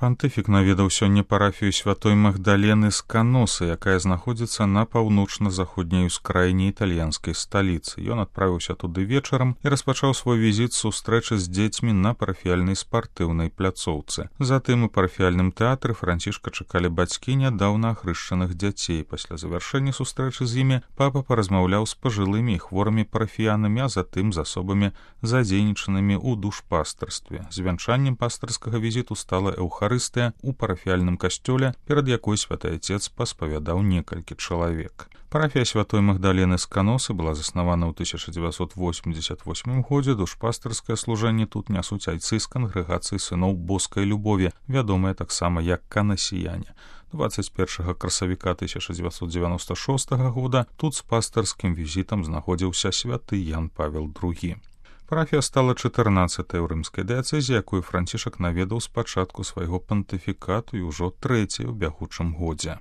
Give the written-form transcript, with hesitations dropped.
Пантыфік наведаў сёння парафію святой Магдалены з Каносы, якая знаходзіцца на паўночна-заходняй ускраіне італьянскай сталіцы. Ён адправіўся туды вечарам і распачаў свой візіт з сустрэчы з дзецьмі на парафіяльнай спартыўнай пляцоўцы. Затым у парафіяльным тэатры Францішка чакалі бацькі нядаўна ахрышчаных дзяцей. Пасля завяршэння сустрэчы з імі папа паразмаўляў з пажылымі і хворымі парафіянамі, а затым з асобамі задзейнічанымі ў душпастарстве. Звянчаннем пастырскага візіту стала эўхарыстыя у парафіяльным касцёле, перад якой святы Отец паспавядаў некалькі чалавек. Парафія святой Магдалены з Каносы была заснавана ў 1988 годзе. Душпастырскае служэнне тут нясуць айцы з кангрэгацыі сыноў боскай любові, вядомыя таксама як канасіяне. 21 красавіка 1996 года тут з пастырскім візітам знаходзіўся святы Ян Павел II. Парафія стала 14-й ў рымскай дыяцэзе, якую Францішак наведаў з пачатку свайго пантыфікату і ўжо 3-й у бягучым годзе.